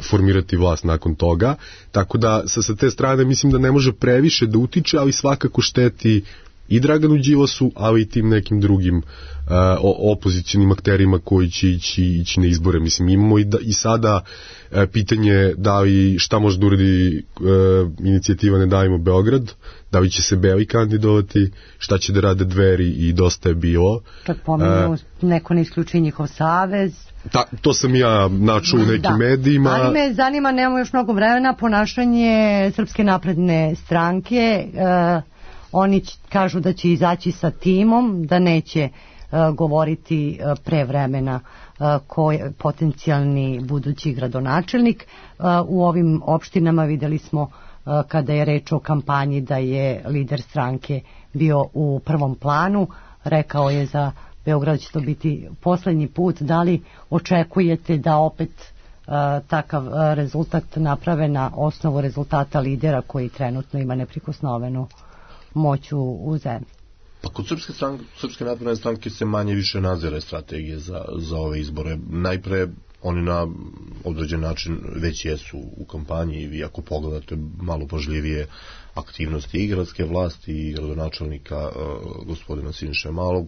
formirati vlast nakon toga. Tako da sa te strane mislim da ne može previše da utiče, ali svakako šteti i Draganu Đilasu, ali i tim nekim drugim opozicionim akterima koji će ići na izbore. Mislim, imamo i sada pitanje da li šta može da uradi inicijativa Ne davimo Beograd, da li će se Beli kandidovati, šta će da rade Dveri i Dosta je bilo. Kad pominju neko ne isključi njihov savez. To sam ja načuo u nekim medijima. Ali me zanima, nemamo još mnogo vremena, ponašanje Srpske napredne stranke. Oni kažu da će izaći sa timom, da neće govoriti pre vremena ko je potencijalni budući gradonačelnik. U ovim opštinama videli smo kada je reč o kampanji da je lider stranke bio u prvom planu. Rekao je za Beograd će to biti poslednji put. Da li očekujete da opet takav rezultat naprave na osnovu rezultata lidera koji trenutno ima neprikosnovenu moć u zemlji? Pa kod Srpske napredne stranke se manje više nadzire strategije za ove izbore. Najpre oni na određen način već jesu u kampanji i vi ako pogledate malo pažljivije aktivnosti i gradske vlasti i gradonačelnika gospodina Siniše Malog,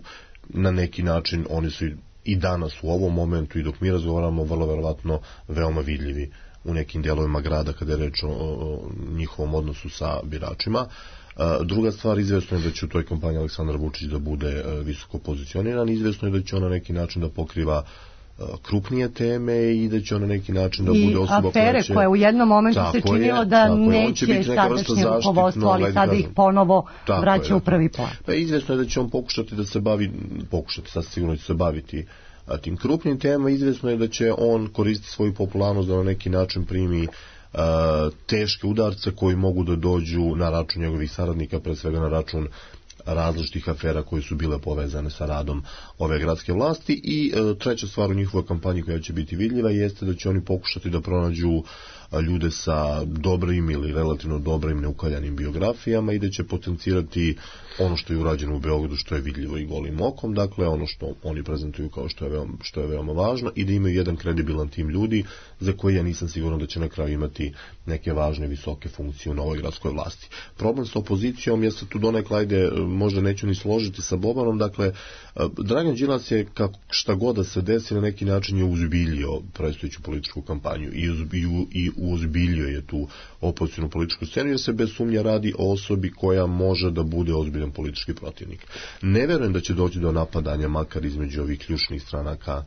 na neki način oni su i danas u ovom momentu i dok mi razgovaramo vrlo verovatno veoma vidljivi u nekim dijelovima grada kada je reč o njihovom odnosu sa biračima. Druga stvar, izvjesno je da će u toj kampanji Aleksandar Vučić da bude visoko pozicioniran, izvjesno je da će on na neki način da pokriva krupnije teme i da će on na neki način da bude osoba koja će... I afere koje u jednom momentu se činilo da neće sadašnje rukovodstvo, ali sada ih ponovo vraća u prvi plan. Pa izvjesno je da će on pokušati da se bavi, sad sigurno će se baviti tim krupnim temama, izvjesno je da će on koristiti svoju popularnost da na neki način primi teške udarce koji mogu da dođu na račun njegovih saradnika, pre svega na račun različitih afera koje su bile povezane sa radom ove gradske vlasti. I treća stvar u njihovoj kampanji koja će biti vidljiva jeste da će oni pokušati da pronađu ljude sa dobrim ili relativno dobrim neukaljanim biografijama i da će potencirati ono što je urađeno u Beogradu, što je vidljivo i golim okom, dakle ono što oni prezentuju kao što je veoma važno, i da imaju jedan kredibilan tim ljudi za koji ja nisam siguran da će na kraju imati neke važne visoke funkcije u novoj gradskoj vlasti. Problem sa opozicijom, ja se tu donekle, možda neću ni složiti sa Bobanom, dakle Dragan Đilas je, šta god da se desi, na neki način je uzbiljio predstojeću političku kampanju i uzbiljio je tu opozicijnu političku scenu, jer se bez sumnja radi o osobi koja može da bude ozbiljan politički protivnik. Ne verujem da će doći do napadanja, makar između ovih ključnih stranaka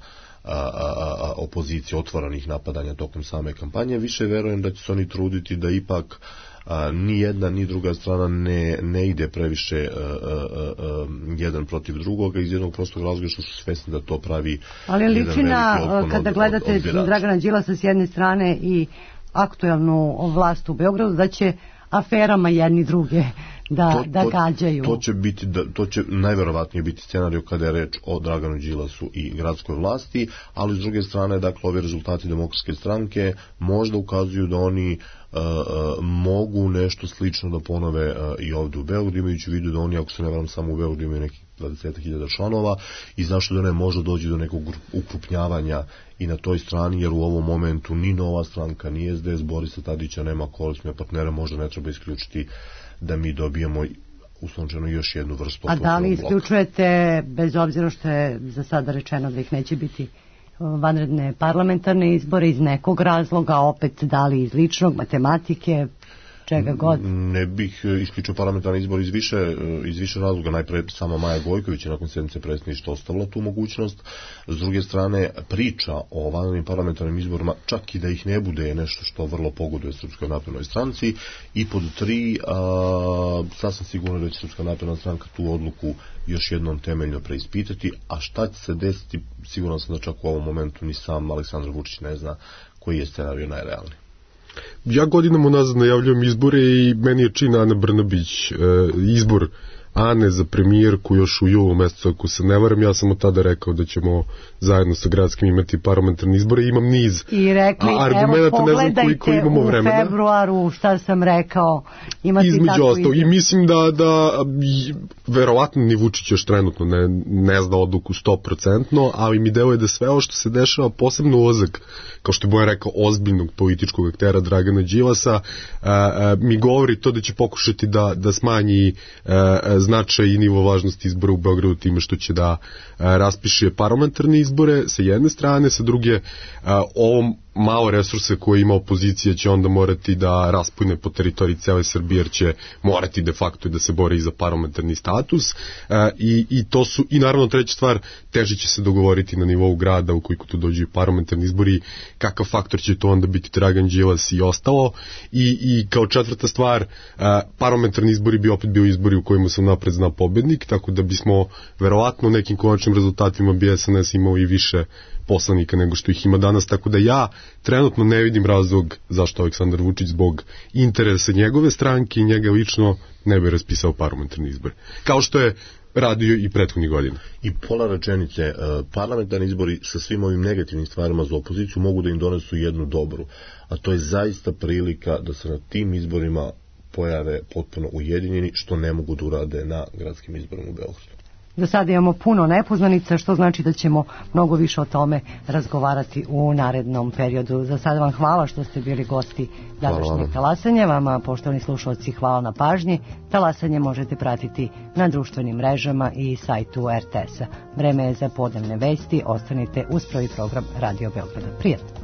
opozicije, otvorenih napadanja tokom same kampanje. Više verujem da će se oni truditi da ipak ni jedna ni druga strana ne ide previše jedan protiv drugoga, iz jednog prostog razloga što su svesni da to pravi. Ali liči na, kada gledate Dragana Đilasa s jedne strane i aktuelnu vlast u Beogradu, da će aferama jedni druge da gađaju. To će najverovatnije biti scenarij kada je reč o Draganu Đilasu i gradskoj vlasti, ali s druge strane, dakle, ovi rezultati Demokratske stranke možda ukazuju da oni mogu nešto slično da ponove i ovdje u Beogradu, imajući u vidu da oni, ako se ne varam, samo u Beogradu imaju nekih 20.000 članova, i zašto da ne može doći do nekog ukrupnjavanja i na toj strani, jer u ovom momentu ni Nova stranka, ni SDS Borisa Tadića nema koalicijne partnere, možda ne treba isključiti da mi dobijemo uslovno još jednu vrstu. A da li isključujete, bez obzira što je za sada rečeno da ih neće biti, vanredne parlamentarne izbore iz nekog razloga, opet da li iz ličnog, matematike, čega god? Ne bih isključio parlamentarni izbor iz više razloga. Najpre sama Maja Gojković je nakon sednice predsjedništva ostavila tu mogućnost. S druge strane, priča o vanrednim parlamentarnim izborima, čak i da ih ne bude, je nešto što vrlo pogoduje Srpskoj naprednoj stranci. I pod 3, sasvim sigurno da će Srpska napredna stranka tu odluku još jednom temeljno preispitati, a šta će se desiti, siguran sam da čak u ovom momentu ni sam Aleksandar Vučić ne zna koji je scenarij najrealniji. Ja godinama unazad najavljujem izbore i meni je čin Ana Brnabić izbor Ane za premijerku još u julu mesecu, ako se ne varam. Ja sam od tada rekao da ćemo zajedno sa gradskim imati parlamentarne izbore. Imam niz argumenta, ne znam koliko imamo vremena. U februaru, šta sam rekao, imati između ostalo. I mislim da verovatno ni Vučić još trenutno ne zna odluku 100%, ali mi deluje da sve ovo što se dešava, posebno ulazak, kao što je Bojan rekao, ozbiljnog političkog aktera Dragana Đilasa, mi govori to da će pokušati da smanji značaj i nivo važnosti izbora u Beogradu time što će da raspiše parlamentarne izbore sa jedne strane, sa druge ovom malo resurse koje ima opozicija će onda morati da raspune po teritoriji cele Srbije, jer će morati de facto da se bore i za parlamentarni status, i to su, i naravno treća stvar, teže će se dogovoriti na nivou grada ukoliko tu dođu i parlamentarni izbori, kakav faktor će to onda biti Dragan Đilas i ostalo, i kao četvrta stvar, parlamentarni izbori bi opet bio izbori u kojima sam napred zna pobednik, tako da bismo verovatno u nekim konačnim rezultatima bi SNS imao i više poslanika nego što ih ima danas, tako da ja trenutno ne vidim razlog zašto Aleksandar Vučić zbog interesa njegove stranke i njega lično ne bi raspisao parlamentarni izbor, kao što je radio i prethodnih godina. I pola rečenice, parlamentarni izbori sa svim ovim negativnim stvarima za opoziciju mogu da im donesu jednu dobru, a to je zaista prilika da se na tim izborima pojave potpuno ujedinjeni, što ne mogu da urade na gradskim izborima u Beogradu. Do sada imamo puno nepoznanica, što znači da ćemo mnogo više o tome razgovarati u narednom periodu. Za sada vam hvala što ste bili gosti današnjeg talasanja. Vama, poštovani slušalci, hvala na pažnji. Talasanje možete pratiti na društvenim mrežama i sajtu RTS-a. Vreme je za podnevne vesti. Ostanite uz prvi program Radio Beograda. Prijatno.